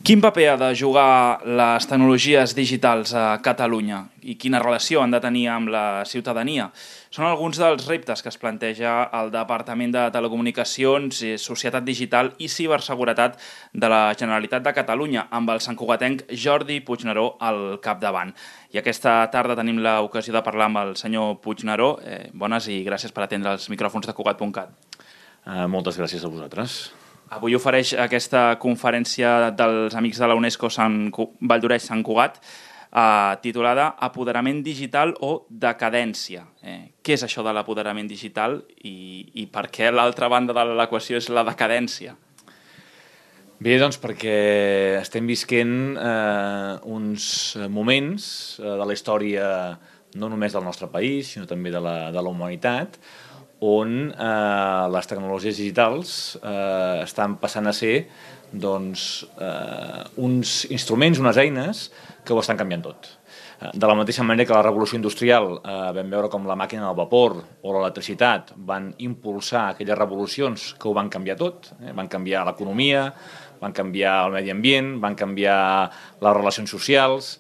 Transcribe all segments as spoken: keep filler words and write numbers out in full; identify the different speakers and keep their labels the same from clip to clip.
Speaker 1: Quin paper ha de jugar les tecnologies digitals a Catalunya i quina relació han de tenir amb la ciutadania? Són alguns dels reptes que es planteja el Departament de Telecomunicacions, Societat Digital i Ciberseguretat de la Generalitat de Catalunya, amb el santcugatenc Jordi Puigneró al capdavant. I aquesta tarda tenim l'ocasió de parlar amb el senyor Puigneró. Eh, bones i gràcies per atendre els micròfons de Cugat punt cat.
Speaker 2: Uh, moltes gràcies a vosaltres.
Speaker 1: Avui ofereix aquesta conferència dels Amics de la UNESCO Sant Valldoreix-Sant Cugat eh, titulada Apoderament digital o decadència. Eh, què és això de l'apoderament digital i, i per què l'altra banda de l'equació és la decadència?
Speaker 2: Bé, doncs perquè estem visquent eh, uns moments eh, de la història no només del nostre país, sinó també de la, de la humanitat, on eh, les tecnologies digitals eh, estan passant a ser doncs, eh, uns instruments, unes eines que ho estan canviant tot. De la mateixa manera que la revolució industrial eh, vam veure com la màquina del vapor o l'electricitat van impulsar aquelles revolucions que ho van canviar tot, eh? Van canviar l'economia, van canviar el medi ambient, van canviar les relacions socials.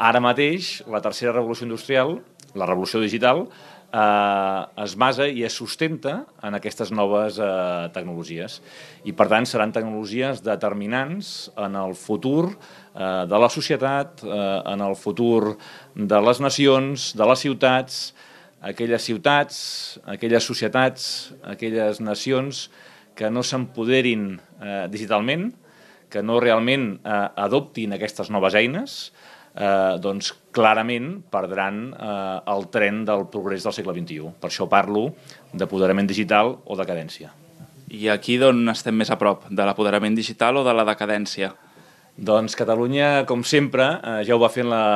Speaker 2: Ara mateix, la tercera revolució industrial, la revolució digital, Eh, es basa i es sustenta en aquestes noves eh, tecnologies i per tant seran tecnologies determinants en el futur eh, de la societat, eh, en el futur de les nacions, de les ciutats, aquelles ciutats, aquelles societats, aquelles nacions que no s'empoderin eh, digitalment, que no realment eh, adoptin aquestes noves eines, Eh, doncs clarament perdran eh, el tren del progrés del segle vint-i-u. Per això parlo d'apoderament digital o decadència.
Speaker 1: I aquí d'on estem més a prop? De l'apoderament digital o de la decadència?
Speaker 2: Doncs Catalunya, com sempre, eh, ja ho va fer en la,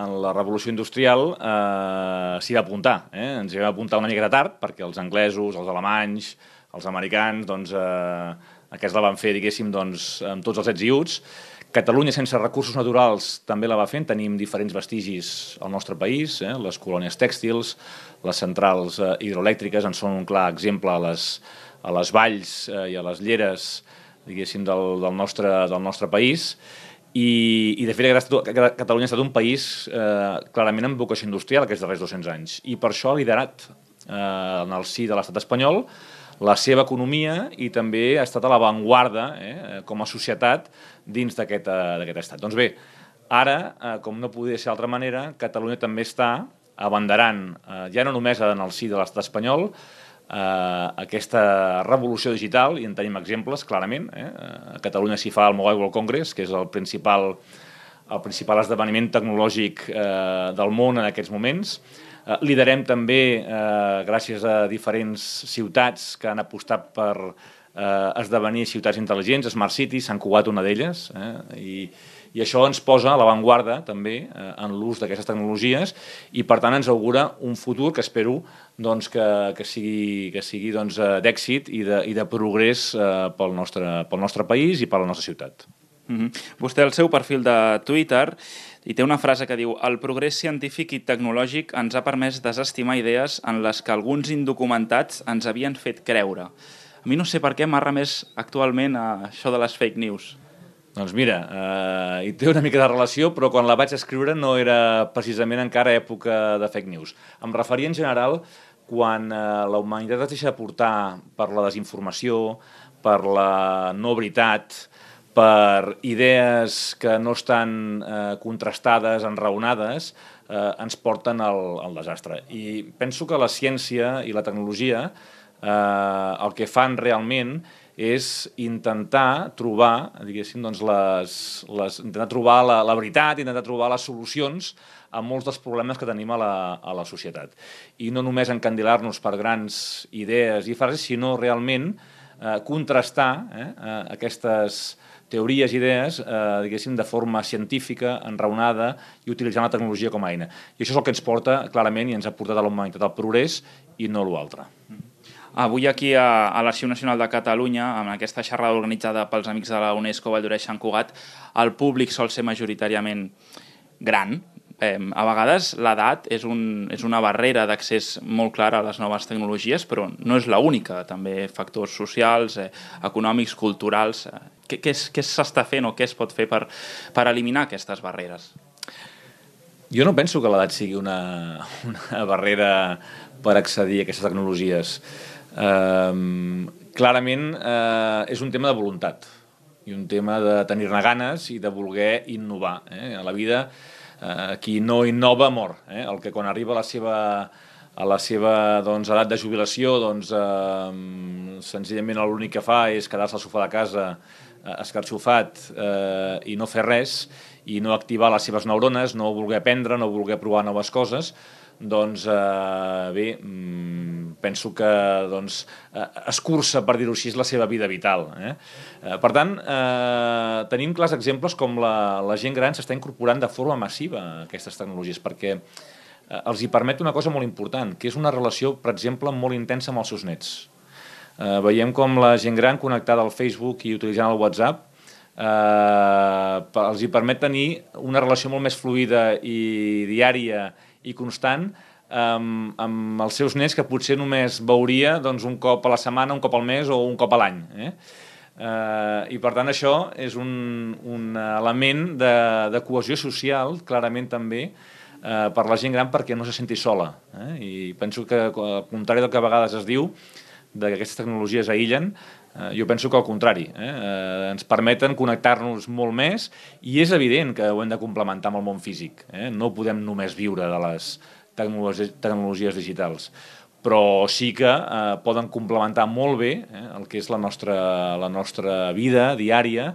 Speaker 2: en la revolució industrial, eh, s'hi va apuntar. Eh? Ens hi vam apuntar una miqueta tard, perquè els anglesos, els alemanys, els americans, doncs, eh, aquests la van fer, diguéssim, doncs, amb tots els ets i uts. Catalunya, sense recursos naturals, també la va fent. Tenim diferents vestigis al nostre país, eh? Les colònies tèxtils, les centrals eh, hidroelèctriques en són un clar exemple a les, a les valls eh, i a les lleres, diguéssim, del, del, nostre, del nostre país. I, i de fet, Catalunya ha estat un país eh, clarament amb vocació industrial aquests darrers dos-cents anys. I per això ha liderat eh, en el si de l'estat espanyol la seva economia i també ha estat a l'avantguarda eh, com a societat dins d'aquest eh, estat. Doncs bé, ara, eh, com no podia ser d'altra manera, Catalunya també està abanderant, eh, ja no només en el si de l'estat espanyol, eh, aquesta revolució digital, i en tenim exemples, clarament. Eh? A Catalunya s'hi fa el Mobile World Congress, que és el principal, el principal esdeveniment tecnològic eh, del món en aquests moments. Eh, liderem també, eh, gràcies a diferents ciutats que han apostat per eh, esdevenir ciutats intel·ligents, Smart Cities, Sant Cugat una d'elles, eh, i, i això ens posa a l'avantguarda també eh, en l'ús d'aquestes tecnologies i per tant ens augura un futur que espero doncs, que, que sigui, que sigui doncs, d'èxit i de, i de progrés eh, pel, nostre, pel nostre país i per la nostra ciutat.
Speaker 1: Mm-hmm. Vostè al seu perfil de Twitter i té una frase que diu «El progrés científic i tecnològic ens ha permès desestimar idees en les que alguns indocumentats ens havien fet creure». A mi no sé per què m'arra més actualment a això de les fake news.
Speaker 2: Doncs mira, eh, hi té una mica de relació, però quan la vaig escriure no era precisament encara època de fake news. Em referia en general quan eh, la humanitat es deixa portar per la desinformació, per la no veritat, per idees que no estan eh, contrastades, enraonades, eh, ens porten al, al desastre. I penso que la ciència i la tecnologia eh, el que fan realment és intentar trobar, diguéssim, doncs les, les, intentar trobar la, la veritat, intentar trobar les solucions a molts dels problemes que tenim a la, a la societat. I no només encandilar-nos per grans idees i frases, sinó realment eh, contrastar eh, aquestes teories i idees, eh, diguéssim, de forma científica, enraonada i utilitzant la tecnologia com a eina. I això és el que ens porta, clarament, i ens ha portat a la humanitat al progrés i no l'altre.
Speaker 1: Avui aquí a, a l'Arxiu Nacional de Catalunya, amb aquesta xerrada organitzada pels Amics de la UNESCO Valldoreix-Sant Cugat, el públic sol ser majoritàriament gran, eh, a vegades l'edat és, un, és una barrera d'accés molt clara a les noves tecnologies, però no és l'única, també factors socials, eh, econòmics, culturals. Eh, què què, què s'està fent o què es pot fer per, per eliminar aquestes barreres?
Speaker 2: Jo no penso que l'edat sigui una, una barrera per accedir a aquestes tecnologies. Eh, clarament eh, és un tema de voluntat i un tema de tenir-ne ganes i de voler innovar. Eh? A la vida, eh, qui no innova mor. Eh? El que quan arriba a la seva, a la seva doncs, edat de jubilació, doncs, eh, senzillament l'únic que fa és quedar-se al sofà de casa eh, escarxofat eh, i no fer res, i no activar les seves neurones, no voler aprendre, no voler provar noves coses, doncs eh, bé, penso que doncs, escurça, per dir-ho així, la seva vida vital. Eh? Eh, per tant, eh, tenim clars exemples com la, la gent gran s'està incorporant de forma massiva a aquestes tecnologies, perquè eh, els hi permet una cosa molt important, que és una relació, per exemple, molt intensa amb els seus nets. Eh, veiem com la gent gran connectada al Facebook i utilitzant el WhatsApp eh, els hi permet tenir una relació molt més fluida i diària i constant amb, amb els seus nets que potser només veuria doncs, un cop a la setmana, un cop al mes o un cop a l'any. Eh? Eh, I per tant això és un, un element de, de cohesió social, clarament també, eh, per la gent gran perquè no se senti sola. Eh? I penso que al contrari del que a vegades es diu, que aquestes tecnologies aïllen, eh, jo penso que al contrari, eh? Eh, ens permeten connectar-nos molt més i és evident que ho hem de complementar amb el món físic. Eh? No podem només viure de les tecnologies, tecnologies digitals, però sí que eh, poden complementar molt bé eh, el que és la nostra, la nostra vida diària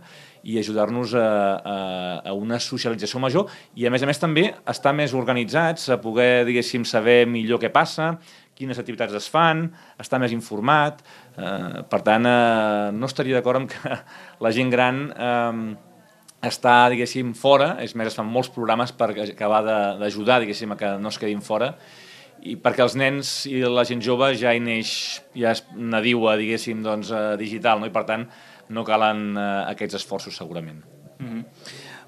Speaker 2: i ajudar-nos a, a, a una socialització major i, a més a més, també estar més organitzats, a poder, diguéssim, saber millor què passa, quines activitats es fan, estar més informat. Eh, per tant, eh, no estaria d'acord amb que la gent gran eh, està, diguéssim, fora. És més, es fan molts programes per acabar d'ajudar, diguéssim, a que no es quedin fora, i perquè els nens i la gent jove ja hi neix, ja és nadiua, diguéssim, doncs, digital, no? I per tant no calen eh, aquests esforços segurament.
Speaker 1: Mm-hmm.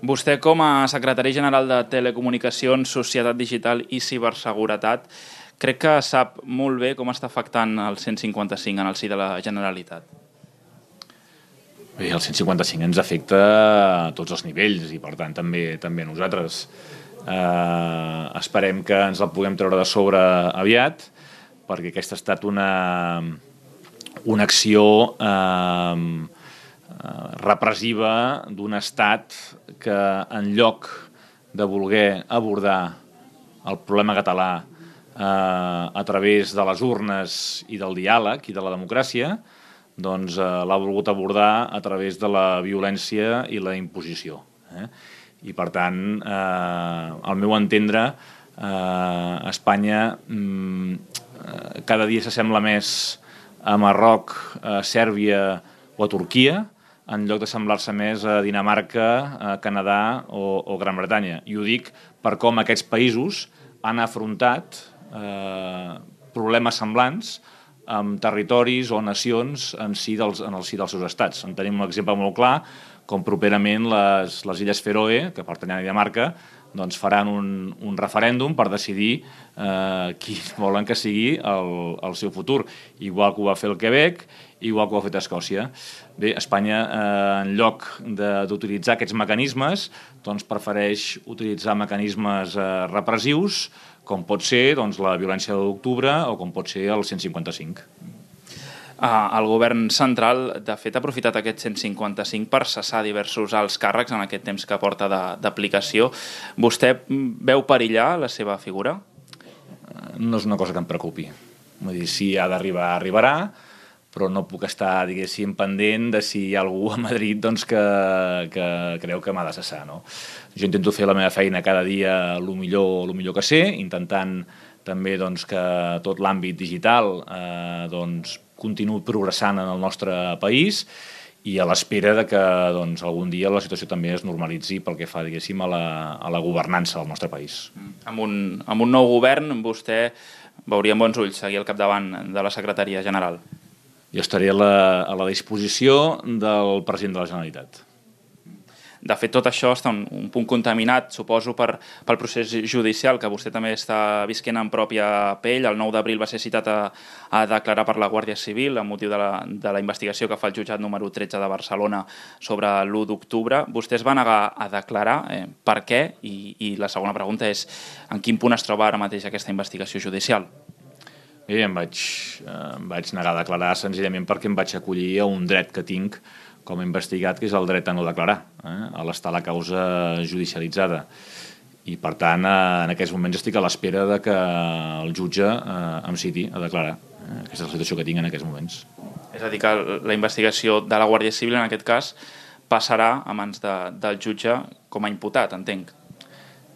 Speaker 1: Vostè, com a secretari general de Telecomunicacions, Societat Digital i Ciberseguretat, crec que sap molt bé com està afectant el cent cinquanta cinc en el si de la Generalitat.
Speaker 2: Bé, el cent cinquanta cinc ens afecta a tots els nivells i, per tant, també també a nosaltres. Eh, esperem que ens la puguem treure de sobre aviat, perquè aquesta ha estat una, una acció eh, repressiva d'un estat que, en lloc de voler abordar el problema català eh, a través de les urnes i del diàleg i de la democràcia, doncs eh, l'ha volgut abordar a través de la violència i la imposició. Eh? I, per tant, eh, al meu entendre, eh, Espanya eh, cada dia s'assembla més a Marroc, a Sèrbia o a Turquia, en lloc de semblar-se més a Dinamarca, a Canadà o, o Gran Bretanya. I ho dic per com aquests països han afrontat eh, problemes semblants amb territoris o nacions en, si dels, en el si dels seus estats. En tenim un exemple molt clar, com properament les, les Illes Feroe, que pertanyen a Dinamarca, doncs faran un, un referèndum per decidir eh, qui volen que sigui el, el seu futur. Igual que ho va fer el Quebec, igual que ho ha fet Escòcia. Bé, Espanya, eh, en lloc d'utilitzar aquests mecanismes, doncs prefereix utilitzar mecanismes eh, repressius, com pot ser doncs, la violència de l'octubre o com pot ser el cent cinquanta cinc.
Speaker 1: Ah, el govern central, de fet, ha aprofitat aquest cent cinquanta cinc per cessar diversos alts càrrecs en aquest temps que porta d'aplicació. Vostè veu perillar la seva figura?
Speaker 2: No és una cosa que em preocupi. Vull dir, si ha d'arribar, arribarà, però no puc estar, diguéssim, pendent de si hi ha algú a Madrid doncs, que, que creu que m'ha de cessar. No? Jo intento fer la meva feina cada dia el millor, el millor que sé, intentant també doncs, que tot l'àmbit digital eh, doncs, continuï progressant en el nostre país i a l'espera de que doncs, algun dia la situació també es normalitzi pel que fa, diguéssim, a la, a la governança del nostre país.
Speaker 1: Amb un, amb un nou govern, vostè veuria amb bons ulls seguir al capdavant de la Secretaria General.
Speaker 2: Jo estaré a la, a la disposició del president de la Generalitat.
Speaker 1: De fet, tot això està un, un punt contaminat, suposo, per, pel procés judicial, que vostè també està visquent en pròpia pell. El nou d'abril va ser citat a, a declarar per la Guàrdia Civil amb motiu de la, de la investigació que fa el jutjat número tretze de Barcelona sobre l'u d'octubre. Vostè es va negar a declarar. Eh, per què? I, I la segona pregunta és en quin punt es troba ara mateix aquesta investigació judicial?
Speaker 2: Bé, em vaig, eh, em vaig negar a declarar senzillament perquè em vaig acollir a un dret que tinc com a investigat, que és el dret a no declarar, eh, a l'estar la causa judicialitzada. I, per tant, eh, en aquests moments estic a l'espera de que el jutge eh, em citi a declarar. Eh, aquesta és la situació que tinc en aquests moments.
Speaker 1: És a dir, que la investigació de la Guàrdia Civil, en aquest cas, passarà a mans de, del jutge com a imputat, entenc.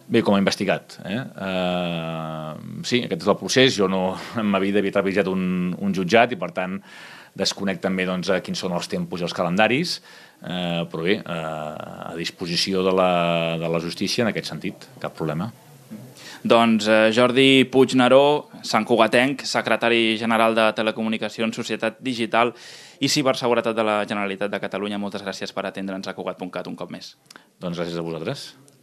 Speaker 2: Bé, com a investigat. Eh? Uh, sí, aquest és el procés. Jo no en ma vida havia treballat un, un jutjat i, per tant, desconec també doncs, quins són els tempos i els calendaris, uh, però bé, uh, a disposició de la, de la justícia en aquest sentit, cap problema.
Speaker 1: Doncs eh, Jordi Puigneró, santcugatenc, secretari general de Telecomunicacions, Societat Digital i Ciberseguretat de la Generalitat de Catalunya. Moltes gràcies per atendre'ns a Cugat punt cat un cop més.
Speaker 2: Doncs gràcies a vosaltres.